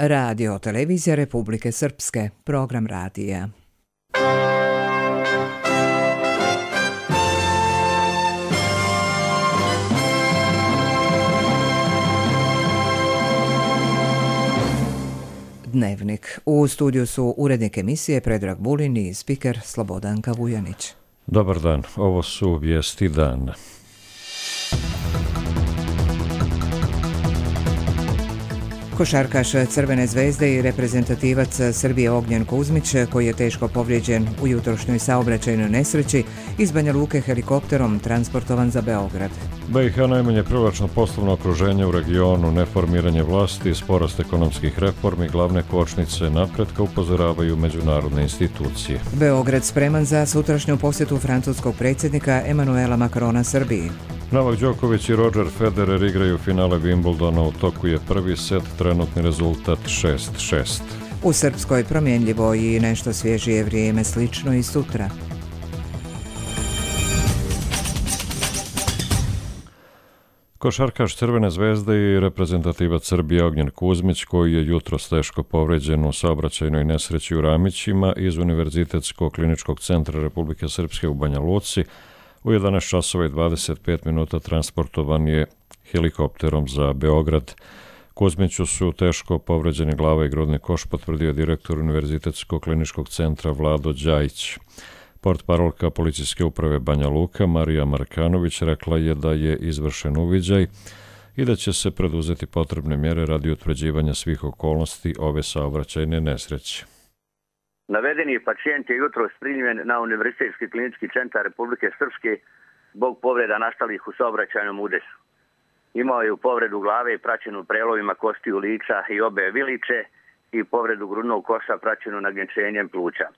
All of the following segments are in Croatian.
Radio Televizija Republike Srpske, program radija. Dnevnik. U studiju su urednik emisije Predrag Vulin i spiker Slobodanka Vujanić. Dobar dan, ovo su vijesti dana. Košarkaš Crvene zvezde i reprezentativac Srbije Ognjen Kuzmić, koji je teško povrijeđen u jutrošnjoj saobraćajnoj nesreći, iz Banja Luke helikopterom transportovan za Beograd. BiH najmanje privlačno poslovno okruženje u regionu, neformiranje vlasti, sporast ekonomskih reformi, glavne kočnice napretka upozoravaju međunarodne institucije. Beograd spreman za sutrašnju posjetu francuskog predsjednika Emanuela Macrona Srbiji. Novak Đoković i Roger Federer igraju finale Wimbledona, u toku je prvi set, trenutni rezultat 6-6. U Srpskoj promjenljivo i nešto svježije vrijeme, slično i sutra. Košarkaš Crvene zvezde i reprezentativac Srbije Ognjen Kuzmić, koji je jutros teško povrijeđen u saobraćajnoj nesreći u Ramićima, iz Univerzitetskog kliničkog centra Republike Srpske u Banja Luci, u 11 časova i 25 minuta transportovan je helikopterom za Beograd. Kuzmiću su teško povređeni glava i grudni koš, potvrdio direktor Univerzitetskog kliničkog centra Vlado Đajić. Portparolka policijske uprave Banja Luka Marija Markanović rekla je da je izvršen uviđaj i da će se preduzeti potrebne mjere radi utvrđivanja svih okolnosti ove saobraćajne nesreće. Navedeni pacijent je jutros primljen na Univerzitetski klinički centar Republike Srpske zbog povreda nastalih u saobraćajnom udesu. Imao je povredu glave praćenu prelovima kostiju lica i obe vilice i povredu grudnog koša praćenu nagnječenjem pluća.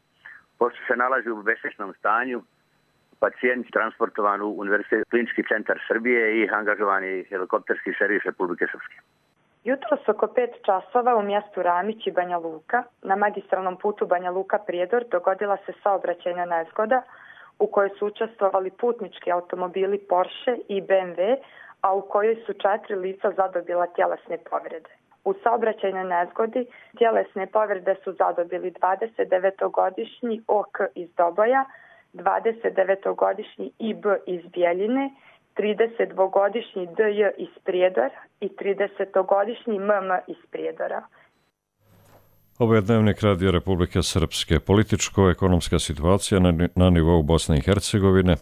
Pošto se nalazi u besvjesnom stanju, pacijent transportovan u Univerzitetski klinički centar Srbije i angažovani helikopterski servis Republike Srpske. Jutros oko 5 časova u mjestu Ramić i Banja Luka, na magistralnom putu Banja Luka-Prijedor, dogodila se saobraćajna nezgoda u kojoj su učestvovali putnički automobili Porsche i BMW, a u kojoj su 4 lica zadobila tjelesne povrede. U saobraćajnoj nezgodi tjelesne povrede su zadobili 29-godišnji OK iz Doboja, 29-godišnji IB iz Bjeljine, 32-godišnji DJ iz Prijedora i 30-godišnji MM iz Prijedora. Ovo je dnevnik Radio Republike Srpske. Političko-ekonomska situacija na nivou Bosne i Hercegovine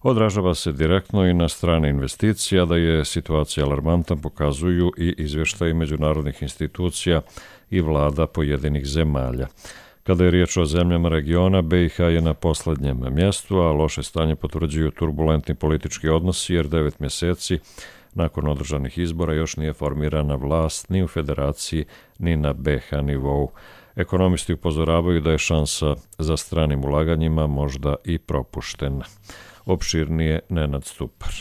odražava se direktno i na strane investicija. Da je situacija alarmantna pokazuju i izvještaji međunarodnih institucija i vlada pojedinih zemalja. Kada je riječ o zemljama regiona, BiH je na posljednjem mjestu, a loše stanje potvrđuju turbulentni politički odnosi, jer 9 mjeseci nakon održanih izbora još nije formirana vlast ni u federaciji ni na BiH nivou. Ekonomisti upozoravaju da je šansa za stranim ulaganjima možda i propuštena. Opširnije Nenad Stupar.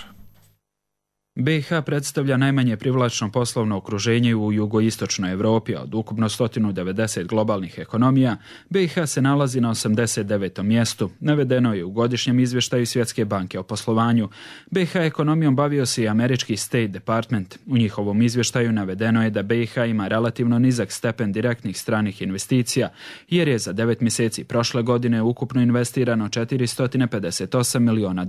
BiH predstavlja najmanje privlačno poslovno okruženje u jugoistočnoj Europi, a od ukupno 190 globalnih ekonomija, BiH se nalazi na 89. mjestu, navedeno je u godišnjem izvještaju Svjetske banke o poslovanju. BiH ekonomijom bavio se i američki State Department. U njihovom izvještaju navedeno je da BiH ima relativno nizak stepen direktnih stranih investicija, jer je za 9 mjeseci prošle godine ukupno investirano $458 miliona.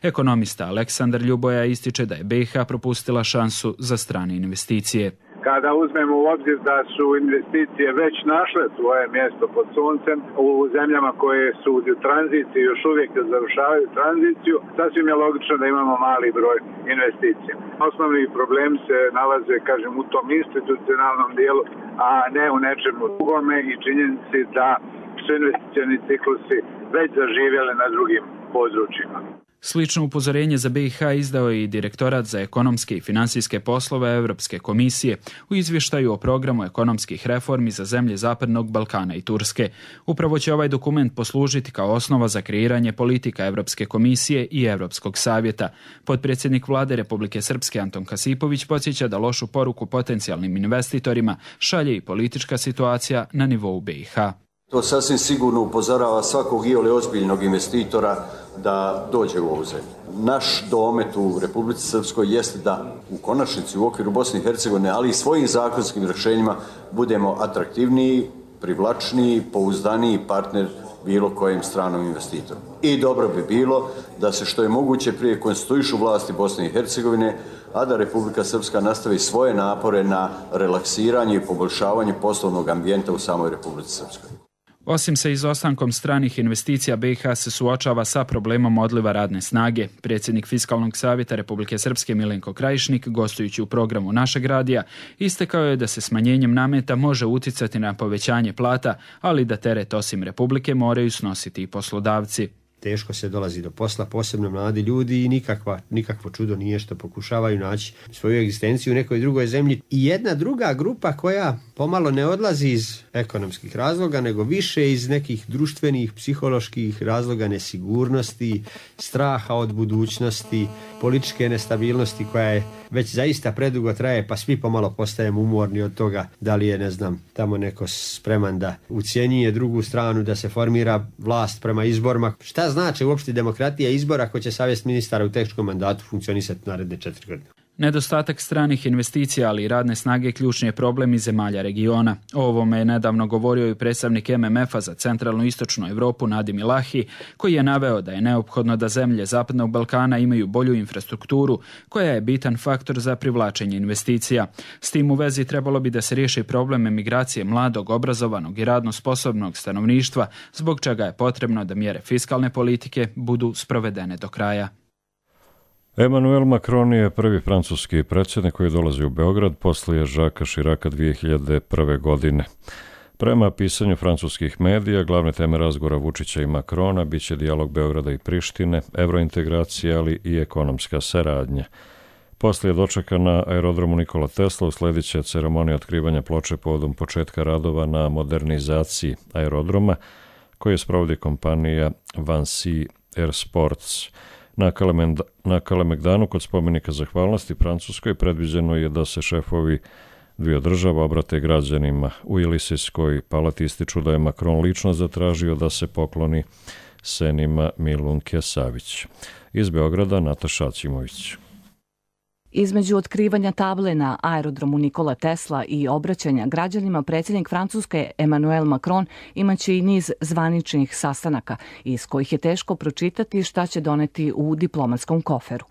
Ekonomista Aleksandar Ljuboja ističe da je BiH propustila šansu za strane investicije. Kada uzmemo u obzir da su investicije već našle svoje mjesto pod suncem u zemljama koje su u tranziciji, još uvijek završavaju tranziciju, sasvim je logično da imamo mali broj investicija. Osnovni problem se nalaze, u tom institucionalnom dijelu, a ne u nečemu drugome i činjenici da su investicioni ciklusi već zaživjeli na drugim područjima. Slično upozorenje za BiH izdao je i Direktorat za ekonomske i financijske poslove Europske komisije u izvještaju o programu ekonomskih reformi za zemlje Zapadnog Balkana i Turske. Upravo će ovaj dokument poslužiti kao osnova za kreiranje politika Europske komisije i Europskog savjeta. Potpredsjednik Vlade Republike Srpske Anton Kasipović podsjeća da lošu poruku potencijalnim investitorima šalje i politička situacija na nivou BiH. To sasvim sigurno upozorava svakog iole ozbiljnog investitora da dođe u ovu zemlju. Naš domet u Republici Srpskoj jeste da u konačnici u okviru Bosne i Hercegovine, ali i svojim zakonskim rješenjima budemo atraktivniji, privlačniji, pouzdaniji partner bilo kojem stranom investitoru. I dobro bi bilo da se što je moguće prije konstituišu vlasti Bosne i Hercegovine, a da Republika Srpska nastavi svoje napore na relaksiranje i poboljšavanje poslovnog ambijenta u samoj Republici Srpskoj. Osim sa izostankom stranih investicija, BiH se suočava sa problemom odliva radne snage. Predsjednik Fiskalnog savjeta Republike Srpske Milenko Krajišnik, gostujući u programu Našeg radija, istakao je da se smanjenjem nameta može uticati na povećanje plata, ali da teret osim Republike moraju snositi i poslodavci. Teško se dolazi do posla, posebno mladi ljudi, i nikakvo čudo nije što pokušavaju naći svoju egzistenciju u nekoj drugoj zemlji. I jedna druga grupa koja pomalo ne odlazi iz ekonomskih razloga, nego više iz nekih društvenih, psiholoških razloga, nesigurnosti, straha od budućnosti, političke nestabilnosti koja je već zaista predugo traje, pa svi pomalo postajemo umorni od toga da li je, tamo neko spreman da ucjenjuje drugu stranu, da se formira vlast prema izborima. Šta znači uopšte demokratija izbora ako će savjest ministara u teškom mandatu funkcionisati naredne 4 godine? Nedostatak stranih investicija, ali i radne snage ključni je problem i zemalja regiona. O ovome je nedavno govorio i predstavnik MMF-a za centralnu i istočnu Europu Nadim Ilahi, koji je naveo da je neophodno da zemlje Zapadnog Balkana imaju bolju infrastrukturu, koja je bitan faktor za privlačenje investicija. S tim u vezi trebalo bi da se riješi problem emigracije mladog, obrazovanog i radno sposobnog stanovništva, zbog čega je potrebno da mjere fiskalne politike budu sprovedene do kraja. Emmanuel Macron je prvi francuski predsjednik koji dolazi u Beograd poslije Jacquesa Chiraca 2001. godine. Prema pisanju francuskih medija, glavne teme razgovora Vučića i Macrona biće dijalog Beograda i Prištine, evrointegracija, ali i ekonomska saradnja. Poslije dočeka na aerodromu Nikola Tesla usledit će ceremonija otkrivanja ploče povodom početka radova na modernizaciji aerodroma koje sprovodi kompanija Vinci Airsports. Na Kalemegdanu kod spomenika zahvalnosti Francuskoj predviđeno je da se šefovi dviju država obrate građanima. U Jelisejskoj palati ističu da je Macron lično zatražio da se pokloni senima Milunke Savić. Iz Beograda Nataša Acimović. Između otkrivanja table na aerodromu Nikola Tesla i obraćanja građanima, predsjednik Francuske Emmanuel Macron imaće i niz zvaničnih sastanaka iz kojih je teško pročitati šta će doneti u diplomatskom koferu.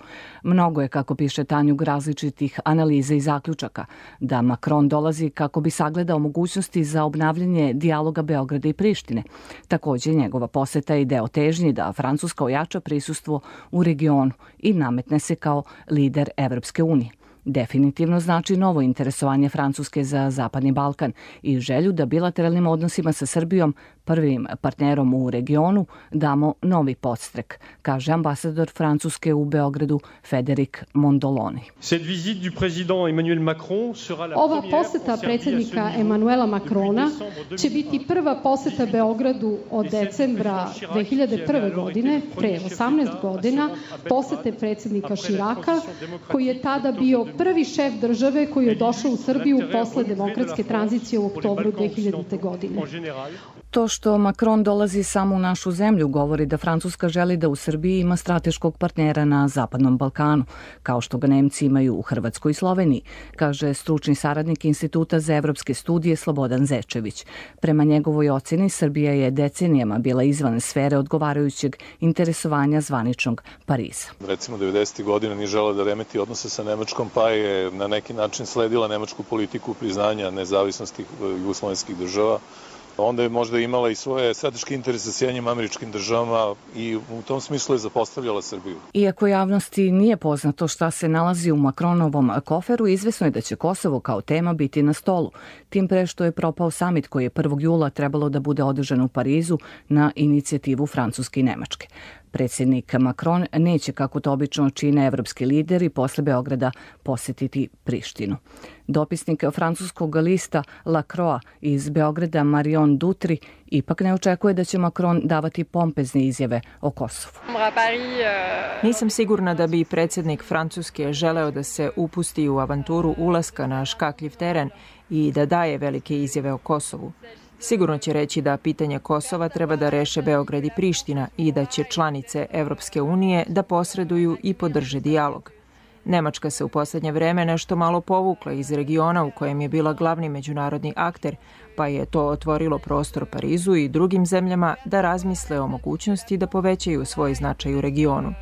Mnogo je, kako piše Tanjug, različitih analiza i zaključaka, da Macron dolazi kako bi sagledao mogućnosti za obnavljanje dijaloga Beograda i Prištine. Također, njegova poseta je deo težnji da Francuska ojača prisustvo u regionu i nametne se kao lider Evropske unije. Definitivno znači novo interesovanje Francuske za Zapadni Balkan i želju da bilateralnim odnosima sa Srbijom, prvim partnerom u regionu, damo novi podstrek, kaže ambasador Francuske u Beogradu Federik Mondoloni. Ova poseta predsjednika Emmanuela Macrona će biti prva poseta Beogradu od decembra 2001. godine, pre 18 godina, posete predsjednika Chiraca, koji je tada bio prvi šef države koji je došao u Srbiju posle demokratske tranzicije u oktobru 2000. godine. To što Macron dolazi samo u našu zemlju govori da Francuska želi da u Srbiji ima strateškog partnera na Zapadnom Balkanu, kao što ga Nemci imaju u Hrvatskoj i Sloveniji, kaže stručni saradnik Instituta za evropske studije Slobodan Zečević. Prema njegovoj ocjeni, Srbija je decenijama bila izvan sfere odgovarajućeg interesovanja zvaničnog Pariza. Recimo 90. godina nije žela da remeti odnose sa Nemačkom, pa je na neki način sledila nemačku politiku priznanja nezavisnosti jugoslovenskih država. Onda je možda imala i svoje strateške interese sa Sjedinjenim Američkim Državama i u tom smislu je zapostavljala Srbiju. Iako javnosti nije poznato šta se nalazi u Macronovom koferu, izvesno je da će Kosovo kao tema biti na stolu. Tim pre što je propao samit koji je 1. jula trebalo da bude održan u Parizu na inicijativu Francuske i Nemačke. Predsjednik Macron neće, kako to obično čine evropski lideri, posle Beograda posjetiti Prištinu. Dopisnik francuskog lista La Croix iz Beograda Marion Dutri ipak ne očekuje da će Macron davati pompezne izjave o Kosovu. Nisam sigurna da bi predsjednik Francuske želeo da se upusti u avanturu ulaska na škakljiv teren i da daje velike izjave o Kosovu. Sigurno će reći da pitanje Kosova treba da reše Beograd i Priština i da će članice Evropske unije da posreduju i podrže dijalog. Nemačka se u poslednje vreme nešto malo povukla iz regiona u kojem je bila glavni međunarodni akter, pa je to otvorilo prostor Parizu i drugim zemljama da razmisle o mogućnosti da povećaju svoj značaj u regionu.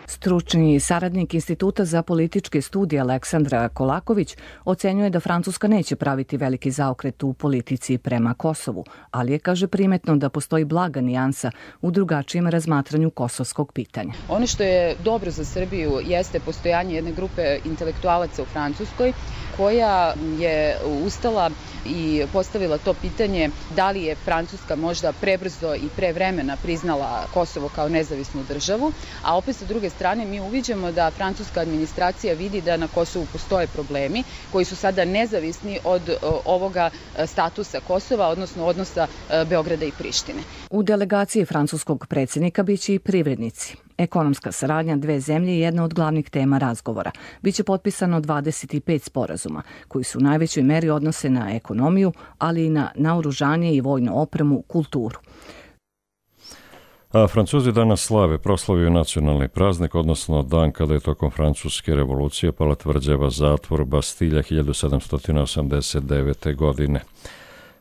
Stručni saradnik Instituta za političke studije Aleksandra Kolaković ocenjuje da Francuska neće praviti veliki zaokret u politici prema Kosovu, ali je, kaže, primetno da postoji blaga nijansa u drugačijem razmatranju kosovskog pitanja. Ono što je dobro za Srbiju jeste postojanje jedne grupe intelektualaca u Francuskoj koja je ustala i postavila to pitanje da li je Francuska možda prebrzo i prevremena priznala Kosovo kao nezavisnu državu, a opet sa druge strane mi uviđamo da francuska administracija vidi da na Kosovu postoje problemi koji su sada nezavisni od ovoga statusa Kosova, odnosno odnosa Beograda i Prištine. U delegaciji francuskog predsjednika biće i privrednici. Ekonomska saradnja dve zemlje je jedna od glavnih tema razgovora. Biće potpisano 25 sporazuma, koji su u najvećoj meri odnose na ekonomiju, ali i na naoružanje i vojnu opremu, kulturu. A Francuzi danas slave, proslavio nacionalni praznik, odnosno dan kada je tokom francuske revolucije pala tvrđava zatvor Bastilja 1789. godine.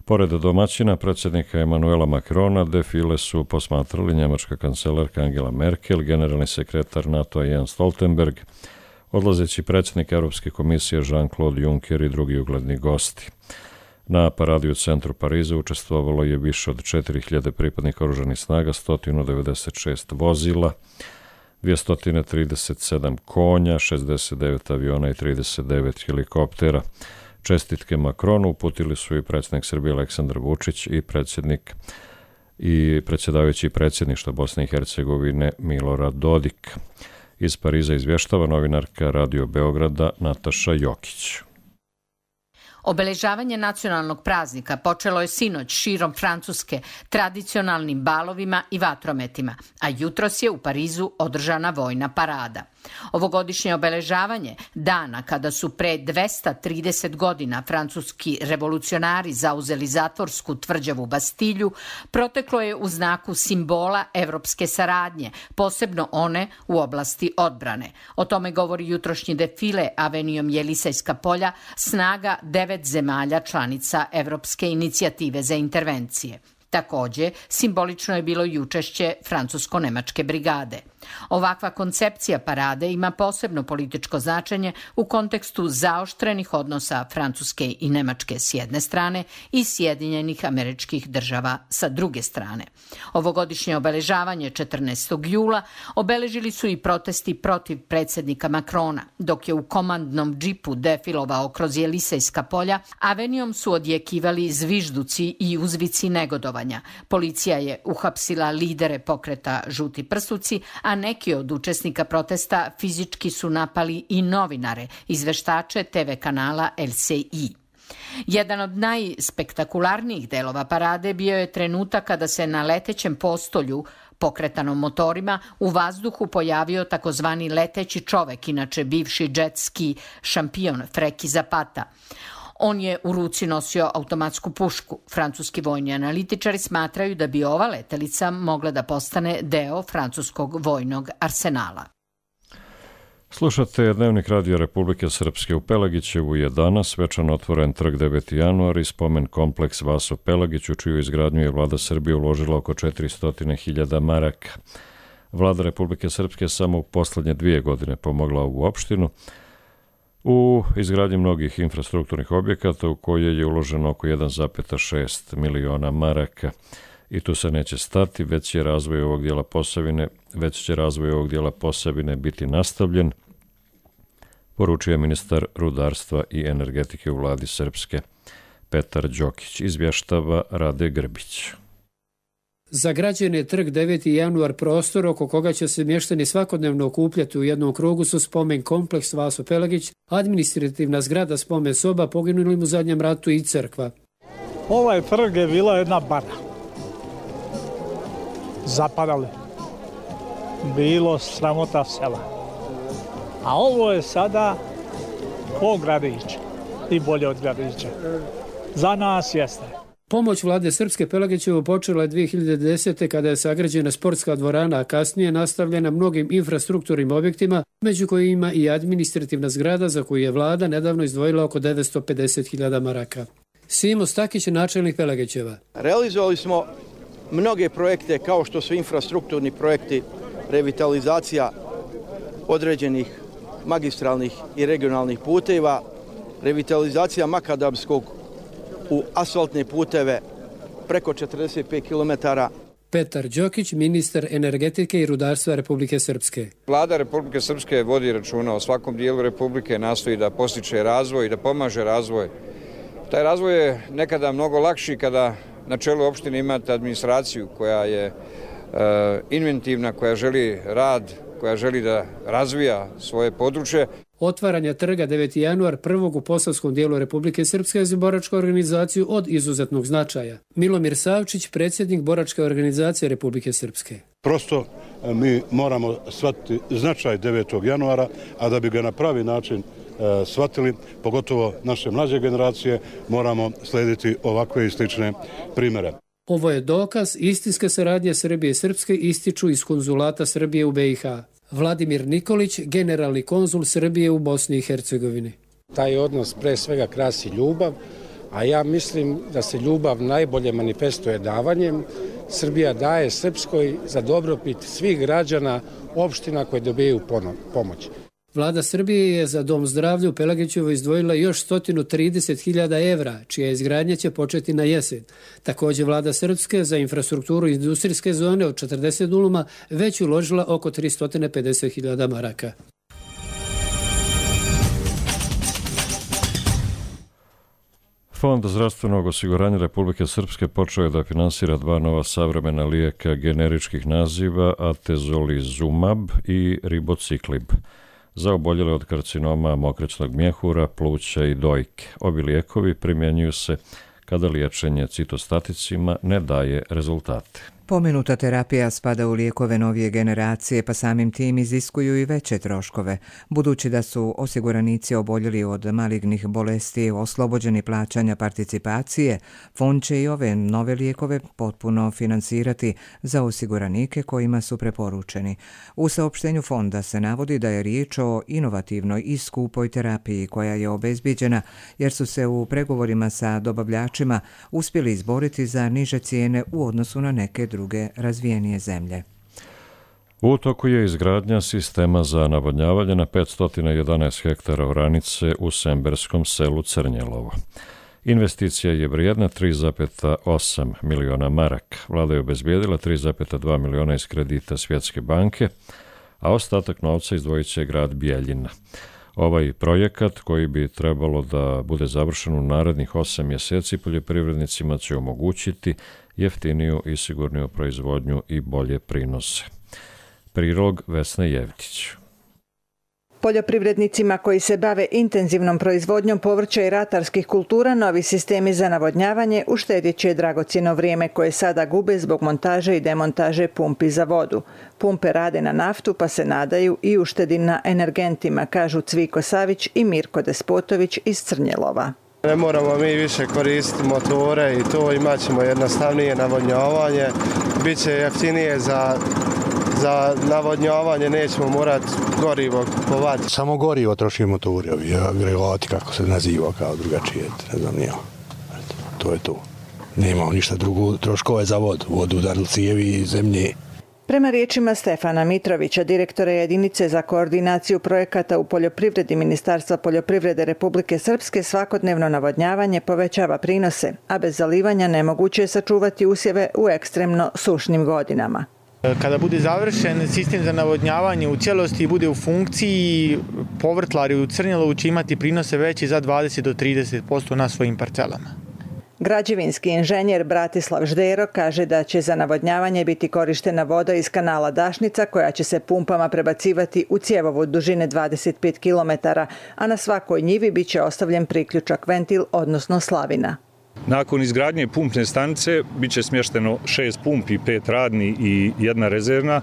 Pored domaćina predsjednika Emanuela Macrona, defile su posmatrali njemačka kancelarka Angela Merkel, generalni sekretar NATO-a Jens Stoltenberg, odlazeći predsjednik Europske komisije Jean-Claude Juncker i drugi ugledni gosti. Na paradi u centru Pariza učestvovalo je više od 4000 pripadnika oružanih snaga, 196 vozila, 237 konja, 69 aviona i 39 helikoptera. Čestitke Makronu uputili su i predsjednik Srbije Aleksandar Vučić i predsjedavajući predsjedništva Bosne i Hercegovine Milorad Dodik. Iz Pariza izvještava novinarka Radio Beograda Nataša Jokić. Obeležavanje nacionalnog praznika počelo je sinoć širom Francuske tradicionalnim balovima i vatrometima, a jutros je u Parizu održana vojna parada. Ovogodišnje obeležavanje dana kada su pre 230 godina francuski revolucionari zauzeli zatvorsku tvrđavu Bastilju proteklo je u znaku simbola evropske saradnje, posebno one u oblasti odbrane. O tome govori jutrošnji defile avenijom Jelisejska polja snaga 9 zemalja članica Evropske inicijative za intervencije. Takođe, simbolično je bilo i učešće francusko-nemačke brigade. Ovakva koncepcija parade ima posebno političko značenje u kontekstu zaoštrenih odnosa Francuske i Nemačke s jedne strane i Sjedinjenih Američkih Država sa druge strane. Ovogodišnje obeležavanje 14. jula obeležili su i protesti protiv predsjednika Makrona, dok je u komandnom džipu defilovao kroz Jelisejska polja, avenijom su odjekivali zvižduci i uzvici negodovanja. Policija je uhapsila lidere pokreta Žuti prstuci, a neki od učesnika protesta fizički su napali i novinare, izveštače TV kanala LCI. Jedan od najspektakularnijih delova parade bio je trenutak kada se na letećem postolju, pokretanom motorima, u vazduhu pojavio takozvani leteći čovek, inače bivši džetski šampion Freki Zapata. On je u ruci nosio automatsku pušku. Francuski vojni analitičari smatraju da bi ova letelica mogla da postane deo francuskog vojnog arsenala. Slušate Dnevnik Radio Republike Srpske. U Pelagićevu je danas svečano otvoren trg 9. januar i spomen kompleks Vaso Pelagić, u čiju izgradnju je vlada Srbije uložila oko 400.000 maraka. Vlada Republike Srpske samo u poslednje 2 godine pomogla ovu opštinu u izgradnji mnogih infrastrukturnih objekata u koje je uloženo oko 1,6 miliona maraka. I tu se neće stati, već će razvoj ovog dijela Posavine biti nastavljen, poručuje ministar rudarstva i energetike u vladi Srpske Petar Đokić. Izvještava Rade Grbić. Za građane trg 9. januar prostor oko koga će se mještani svakodnevno okupljati u jednom krugu su spomen kompleks Vaso Pelagić, administrativna zgrada spomen soba poginulim u zadnjem ratu i crkva. Ovaj trg je bila jedna bara. Zapadali. Bilo sramota sela. A ovo je sada ko gradić i bolje od gradića. Za nas jeste. Pomoć vlade Srpske Pelagićevo počela je 2010. kada je sagrađena sportska dvorana, a kasnije nastavljena mnogim infrastrukturnim objektima, među kojima i administrativna zgrada za koju je vlada nedavno izdvojila oko 950.000 maraka. Simo Stakić je načelnik Pelagićeva. Realizovali smo mnoge projekte kao što su infrastrukturni projekti, revitalizacija određenih magistralnih i regionalnih puteva, revitalizacija makadamskog u asfaltne puteve preko 45 km. Petar Đokić, ministar energetike i rudarstva Republike Srpske. Vlada Republike Srpske vodi računa o svakom dijelu Republike, nastoji da postiče razvoj i da pomaže razvoj. Taj razvoj je nekada mnogo lakši kada na čelu opštine imate administraciju koja je inventivna, koja želi rad, koja želi da razvija svoje područje. Otvaranje trga 9. januar prvog u posavskom dijelu Republike Srpske za boračku organizaciju od izuzetnog značaja. Milomir Savčić, predsjednik boračke organizacije Republike Srpske. Prosto mi moramo shvatiti značaj 9. januara, a da bi ga na pravi način shvatili, pogotovo naše mlađe generacije, moramo slijediti ovakve i slične primjere. Ovo je dokaz istinske saradnje Srbije i Srpske, ističu iz konzulata Srbije u BiH. Vladimir Nikolić, generalni konzul Srbije u Bosni i Hercegovini. Taj odnos pre svega krasi ljubav, a ja mislim da se ljubav najbolje manifestuje davanjem. Srbija daje Srpskoj za dobrobit svih građana opština koje dobijaju pomoć. Vlada Srbije je za Dom zdravlja u Pelagićevo izdvojila još 130.000 evra, čija izgradnja će početi na jesen. Također vlada Srpske za infrastrukturu industrijske zone od 40 duluma već uložila oko 350.000 maraka. Fond zdravstvenog osiguranja Republike Srpske počeo je da finansira 2 nova savremena lijeka generičkih naziva Atezolizumab i Ribociklib za oboljele od karcinoma mokraćnog mjehura, pluća i dojke. Ovi lijekovi primjenjuju se kada liječenje citostaticima ne daje rezultate. Pomenuta terapija spada u lijekove novije generacije, pa samim tim iziskuju i veće troškove. Budući da su osiguranici oboljeli od malignih bolesti oslobođeni plaćanja participacije, fond će i ove nove lijekove potpuno finansirati za osiguranike kojima su preporučeni. U saopštenju fonda se navodi da je riječ o inovativnoj i skupoj terapiji koja je obezbijeđena jer su se u pregovorima sa dobavljačima uspjeli izboriti za niže cijene u odnosu na neke druge razvijenije zemlje. U toku je izgradnja sistema za navodnjavanje na 511 hektara oranice u semberskom selu Crnjelovo. Investicija je vrijedna 3,8 miliona maraka. Vlada je obezbijedila 3,2 miliona iz kredita Svjetske banke, a ostatak novca izdvojit će grad Bijeljina. Ovaj projekat, koji bi trebalo da bude završen u narednih 8 mjeseci, poljoprivrednicima će omogućiti jeftiniju i sigurniju proizvodnju i bolje prinose. Prilog Vesne Jevtić. Poljoprivrednicima koji se bave intenzivnom proizvodnjom povrća i ratarskih kultura, novi sistemi za navodnjavanje uštedjet će dragocjeno vrijeme koje sada gube zbog montaže i demontaže pumpi za vodu. Pumpe rade na naftu pa se nadaju i uštedi na energentima, kažu Cviko Savić i Mirko Despotović iz Crnjelova. Ne moramo mi više koristiti motore i to, imat ćemo jednostavnije navodnjavanje, bit će jeftinije za navodnjavanje, nećemo morati gorivo kupovati. Samo gorivo troši motori, ovi agregati, kako se naziva, kao drugačije, ne znam nijel. To je to. Nemamo ništa drugo, troškove za vodu udarili cijevi i zemlje. Prema riječima Stefana Mitrovića, direktora jedinice za koordinaciju projekata u poljoprivredi Ministarstva poljoprivrede Republike Srpske, svakodnevno navodnjavanje povećava prinose, a bez zalivanja nemoguće je sačuvati usjeve u ekstremno sušnim godinama. Kada bude završen sistem za navodnjavanje u cijelosti i bude u funkciji, povrtlari u Crnjelovu će imati prinose veći za 20 do 30% na svojim parcelama. Građevinski inženjer Bratislav Ždero kaže da će za navodnjavanje biti korištena voda iz kanala Dašnica koja će se pumpama prebacivati u cjevovod dužine 25 km, a na svakoj njivi bit će ostavljen priključak ventil, odnosno slavina. Nakon izgradnje pumpne stanice bit će smješteno 6 pumpi, 5 radni i 1 rezervna.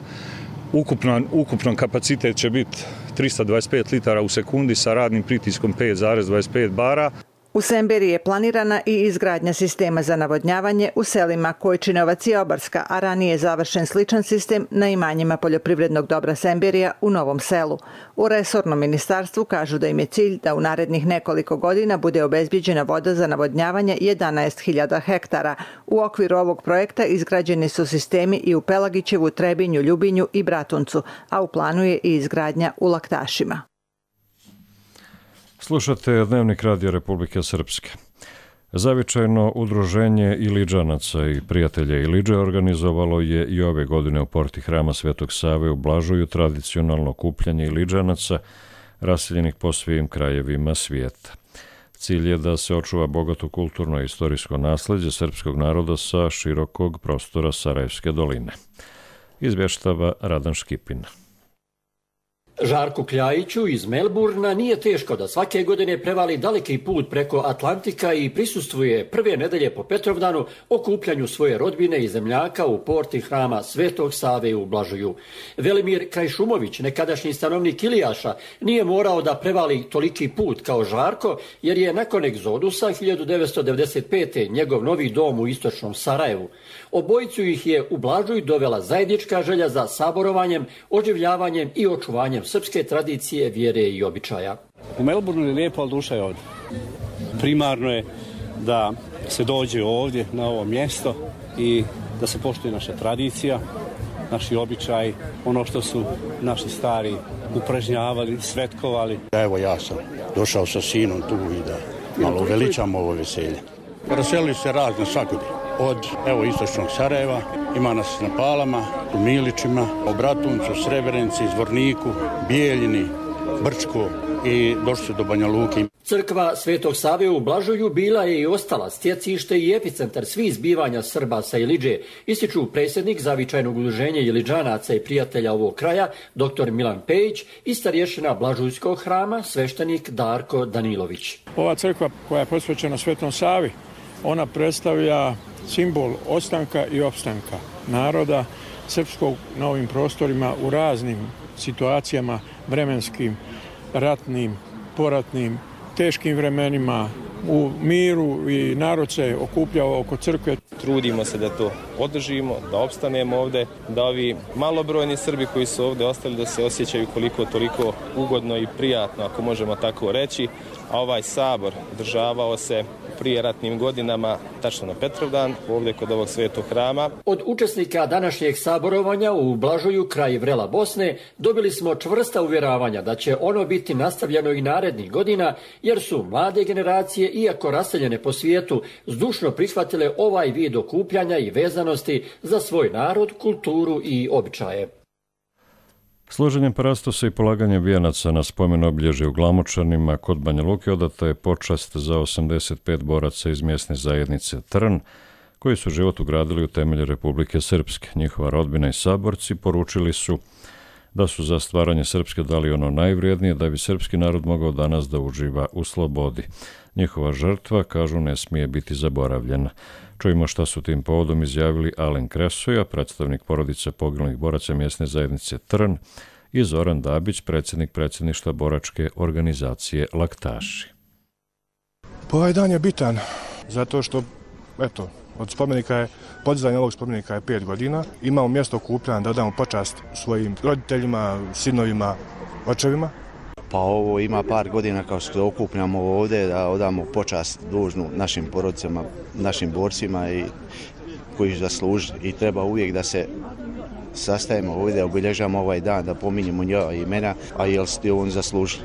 Ukupno kapacitet će biti 325 litara u sekundi sa radnim pritiskom 5,25 bara. U Semberiji je planirana i izgradnja sistema za navodnjavanje u selima Kojčinovac i Obarska, a ranije je završen sličan sistem na imanjima poljoprivrednog dobra Semberija u Novom Selu. U resornom ministarstvu kažu da im je cilj da u narednih nekoliko godina bude obezbijeđena voda za navodnjavanje 11.000 hektara. U okviru ovog projekta izgrađeni su sistemi i u Pelagićevu, Trebinju, Ljubinju i Bratuncu, a u planu je i izgradnja u Laktašima. Slušate Dnevnik Radio Republike Srpske. Zavičajno udruženje Iliđanaca i prijatelja Iliđe organizovalo je i ove godine u porti Hrama Svetog Save u Blažuju tradicionalno okupljanje Iliđanaca raseljenih po svim krajevima svijeta. Cilj je da se očuva bogato kulturno i istorijsko nasleđe srpskog naroda sa širokog prostora Sarajevske doline. Izvještava Radan Škipin. Žarku Kljajiću iz Melburna nije teško da svake godine prevali daleki put preko Atlantika i prisustvuje prve nedelje po Petrovdanu okupljanju svoje rodbine i zemljaka u porti Hrama Svetog Save u Blažuju. Velimir Krajšumović, nekadašnji stanovnik Ilijaša, nije morao da prevali toliki put kao Žarko, jer je nakon egzodusa 1995. njegov novi dom u istočnom Sarajevu. Obojicu ih je u Blažuj dovela zajednička želja za saborovanjem, oživljavanjem i očuvanjem srpske tradicije, vjere i običaja. U Melbourneu je lijepo, ali duša je ovdje. Primarno je da se dođe ovdje na ovo mjesto i da se poštuje naša tradicija, naši običaji, ono što su naši stari upražnjavali, svetkovali. Evo ja sam došao sa sinom tu i da malo veličamo ovo veselje. Raselili se razne svakudi. Od istočnog Sarajeva, ima nas na Palama, u Milićima, u Bratuncu, Srebrenici, Zvorniku, Bijeljini, Brčko i došli su do Banja Luke. Crkva Svetog Save u Blažuju bila je i ostala stjecište i epicentar svih zbivanja Srba sa Iliđe, ističu predsjednik zavičajnog udruženja Iliđanaca i prijatelja ovog kraja, dr. Milan Pejić, i starješina Blažujskog hrama, sveštenik Darko Danilović. Ova crkva koja je posvećena Svetom Savi, ona predstavlja simbol ostanka i opstanka naroda srpskog na ovim prostorima u raznim situacijama, vremenskim, ratnim, poratnim, teškim vremenima, u miru, i narod se okupljao oko crkve. Trudimo se da to održimo, da opstanemo ovdje, da ovi malobrojni Srbi koji su ovdje ostali da se osjećaju koliko toliko ugodno i prijatno, ako možemo tako reći. A ovaj sabor održavao se prije ratnim godinama, tačno na Petrovdan, ovdje kod ovog Svetog hrama. Od učesnika današnjeg saborovanja u Blažuju, kraj vrela Bosne, dobili smo čvrsta uvjeravanja da će ono biti nastavljeno i narednih godina, jer su mlade generacije, iako raseljene po svijetu, zdušno prihvatile ovaj vid okupljanja i vezanosti za svoj narod, kulturu i običaje. Složenjem parastosa i polaganjem vijenaca na spomen obilježje u Glamočanima kod Banja Luke odata je počast za 85 boraca iz mjesne zajednice Trn, koji su život ugradili u temelje Republike Srpske. Njihova rodbina i saborci poručili su da su za stvaranje Srpske dali ono najvrijednije da bi srpski narod mogao danas da uživa u slobodi. Njihova žrtva, kažu, ne smije biti zaboravljena. Čujemo šta su tim povodom izjavili Alen Kresoja, predstavnik porodice poginulih boraca mjesne zajednice Trn, i Zoran Dabić, predsjednik predsjedništva boračke organizacije Laktaši. Ovaj dan je bitan zato što, od podizanja ovog spomenika je 5 godina. Imamo mjesto okupljanja da damo počast svojim roditeljima, sinovima, očevima. Pa ovo ima par godina kao što okupljamo ovdje da odamo počast dužnu našim porodicama, našim borcima i koji zasluži, i treba uvijek da se sastajemo ovdje, da obilježamo ovaj dan, da pominjemo njega imena, a jel ste on zaslužili.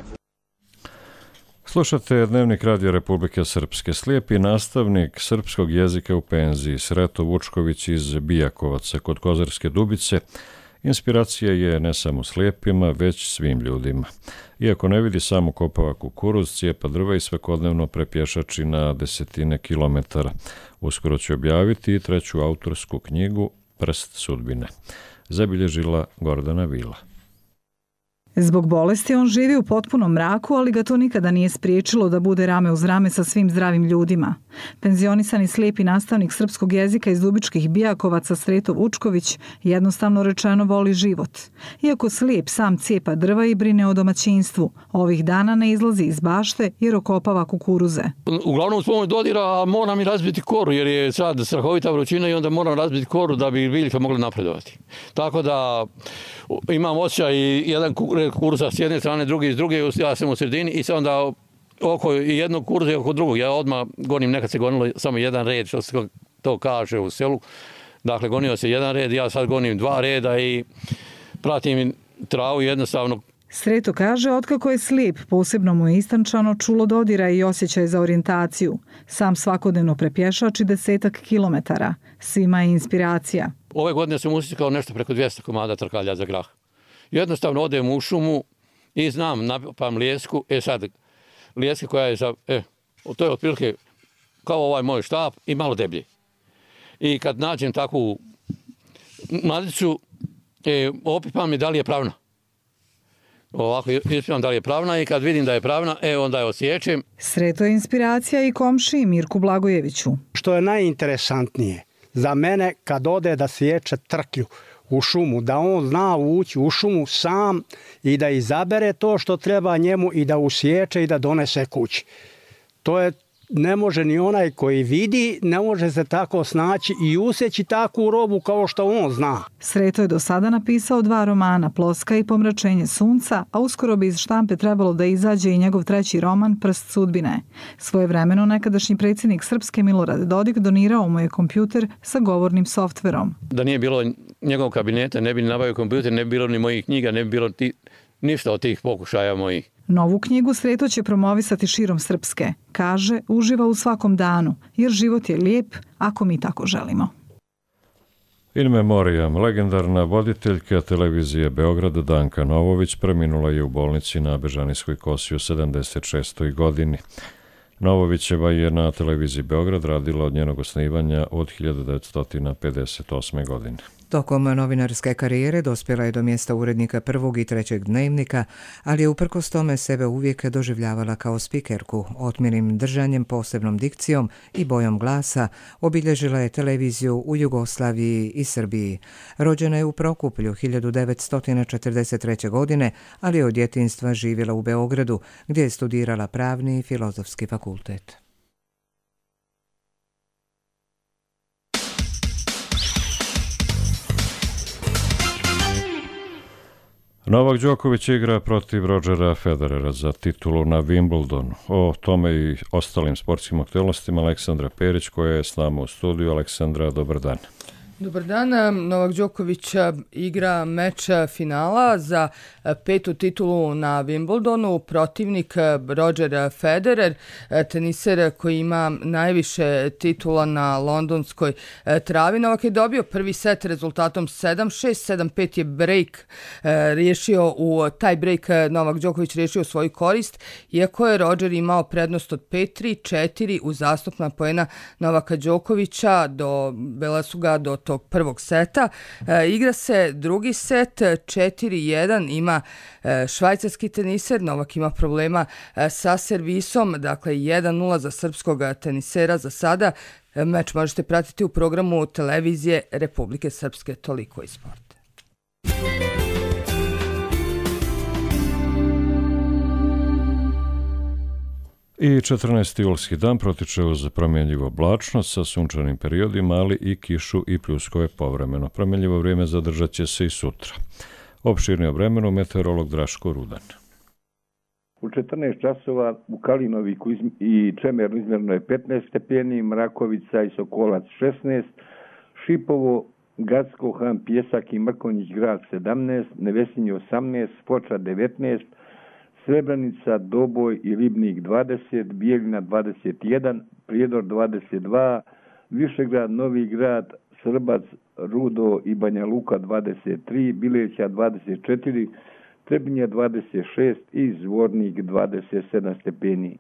Slušate Dnevnik Radio Republike Srpske. Slijepi nastavnik srpskog jezika u penziji Sreto Vučković iz Bijakovaca kod Kozarske Dubice inspiracija je ne samo slijepima, već svim ljudima. Iako ne vidi, samo kopava kukuruz, cijepa drva i svakodnevno prepješači na desetine kilometara. Uskoro će objaviti i 3. autorsku knjigu Prst sudbine. Zabilježila Gordana Vila. Zbog bolesti on živi u potpunom mraku, ali ga to nikada nije spriječilo da bude rame uz rame sa svim zdravim ljudima. Penzionisani slijepi nastavnik srpskog jezika iz Dubičkih Bijakovaca Sreto Vučković jednostavno rečeno voli život. Iako slijep sam cijepa drva i brine o domaćinstvu, ovih dana ne izlazi iz bašte jer okopava kukuruze. Uglavnom s pomoć dodira moram i razbiti koru jer je sad strahovita vrućina i onda moram razbiti koru da bi biljke mogle napredovati. Tako da imam osjećaj jedan kukuruza s jedne strane, drugi s druge, ja sam u sredini i sad onda oko jednog kukuruza i oko drugog. Ja odmah gonim, nekad se gonilo samo jedan red, što se to kaže u selu. Dakle, gonio se jedan red, ja sad gonim 2 reda i pratim travu jednostavno. Sreto kaže, otkako je slijep, posebno mu je istančano čulo dodira i osjećaj za orijentaciju. Sam svakodnevno prepješači 10 kilometara. Svima je inspiracija. Ove godine sam usikao nešto preko 200 komada trkalja za grah. Jednostavno odem u šumu i znam, napam lijesku. Sad, lijeska koja je to je otprilike kao ovaj moj štap i malo deblje. I kad nađem takvu mladicu, opipam je da li je pravna. Ovako ispipam da li je pravna i kad vidim da je pravna, onda je osjećem. Sreto je inspiracija i komšiji Mirku Blagojeviću. Što je najinteresantnije za mene kad ode da sječe trklju u šumu, da on zna ući u šumu sam i da izabere to što treba njemu i da usječe i da donese kući. To je ne može ni onaj koji vidi, ne može se tako snaći i usjeći takvu robu kao što on zna. Sreto je do sada napisao 2 romana, Ploska i Pomračenje sunca, a uskoro bi iz štampe trebalo da izađe i njegov 3. roman, Prst sudbine. Svojevremeno nekadašnji predsjednik Srpske Milorad Dodik donirao mu je kompjuter sa govornim softverom. Da nije bilo njegovog kabineta, ne bi nabavio kompjuter, ne bi bilo ni mojih knjiga, ne bi bilo ništa od tih pokušaja mojih. Novu knjigu Sreto će promovisati širom Srpske. Kaže, uživa u svakom danu, jer život je lijep ako mi tako želimo. In memoriam, legendarna voditeljka televizije Beograda Danka Novović preminula je u bolnici na Bežanijskoj kosi u 76. godini. Novovićeva je na televiziji Beograd radila od njenog osnivanja od 1958. godine. Tokom novinarske karijere dospjela je do mjesta urednika 1. i 3. dnevnika, ali je uprkos tome sebe uvijek doživljavala kao spikerku, otmjenim držanjem, posebnom dikcijom i bojom glasa. Obilježila je televiziju u Jugoslaviji i Srbiji. Rođena je u Prokuplju 1943. godine, ali je od djetinjstva živjela u Beogradu, gdje je studirala pravni i filozofski fakultet. Novak Đoković igra protiv Rodgera Federera za titulu na Wimbledonu. O tome i ostalim sportskim aktualnostima Aleksandra Perić koja je s nama u studiju. Aleksandra, dobar dan. Dobar dan. Novak Đoković igra meč finala za 5. titulu na Wimbledonu. Protivnik Roger Federer, teniser koji ima najviše titula na londonskoj travi. Novak je dobio prvi set rezultatom 7-6, 7-5 je break riješio u taj break. Novak Đoković riješio svoju korist, iako je Roger imao prednost od 5-3, 4 uz zastupna poena Novaka Đokovića. Dovela su ga do tog prvog seta. Igra se drugi set, 4-1, ima švajcarski teniser. Novak ima problema sa servisom, dakle 1-0 za srpskog tenisera za sada. Meč možete pratiti u programu televizije Republike Srpske. Toliko iz sporta. I 14. julski dan protiče uz promjenljivu oblačnost sa sunčanim periodima, ali i kišu i pljuskove povremeno. Promjenljivo vrijeme zadržat će se i sutra. Opširnije o vremenu meteorolog Draško Rudan. U 14 časova u Kalinoviku i Čemernu izmjereno je 15 stepeni, Mrakovica i Sokolac 16, Šipovo, Gacko, Han, Pjesak i Mrkonjić grad 17, Nevesinje 18, Foča 19, Srebrenica, Doboj i Ribnik 20, Bijeljina 21, Prijedor 22, Višegrad, Novi grad, Srbac, Rudo i Banja Luka 23, Bileća 24, Trebinje 26 i Zvornik 27 stepeni.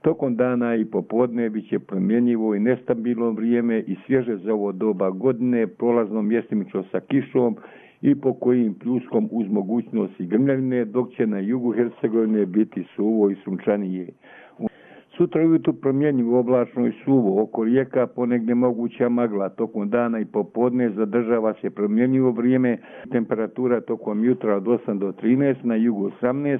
Tokom dana i popodne bit će promjenjivo i nestabilno vrijeme i svježe za ovo doba godine, prolazno mjestimično sa kišom i po kojim pljuskom uz mogućnosti grmljavine, dok će na jugu Hercegovine biti suvo i sunčanije. Sutra ujutru promjenjivo oblačno i suvo, oko rijeka ponegdje moguća magla, tokom dana i popodne zadržava se promjenjivo vrijeme, temperatura tokom jutra od 8 do 13, na jugu 18,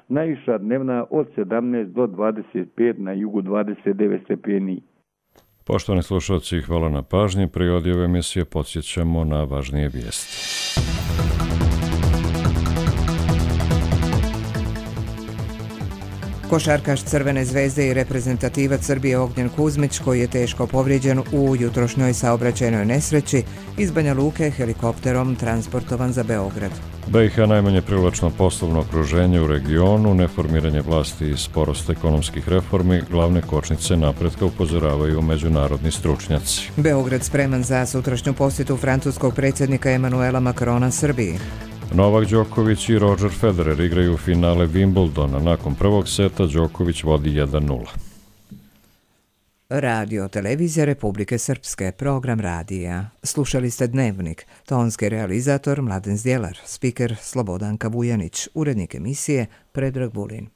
najviša dnevna od 17 do 25, na jugu 29 stepeni. Poštovani slušalci, hvala na pažnji. Pri ove emisije podsjećamo na važnije vijesti. Košarkaš Crvene zvezde i reprezentativac Srbije Ognjen Kuzmić, koji je teško povrijeđen u jutrošnjoj saobraćajnoj nesreći, iz Banja Luke helikopterom transportovan za Beograd. BiH najmanje privlačno poslovno okruženje u regionu, neformiranje vlasti i sporost ekonomskih reformi, glavne kočnice napretka, upozoravaju međunarodni stručnjaci. Beograd spreman za sutrašnju posjetu francuskog predsjednika Emanuela Macrona Srbiji. Novak Đoković i Roger Federer igraju finale Wimbledona. Nakon prvog seta Đoković vodi 1:0. Radio televizija Republike Srpske, program radija. Slušali ste Dnevnik, tonski realizator Mladen Zdjelar, spiker Slobodanka Vujanić, urednik emisije Predrag Vulin.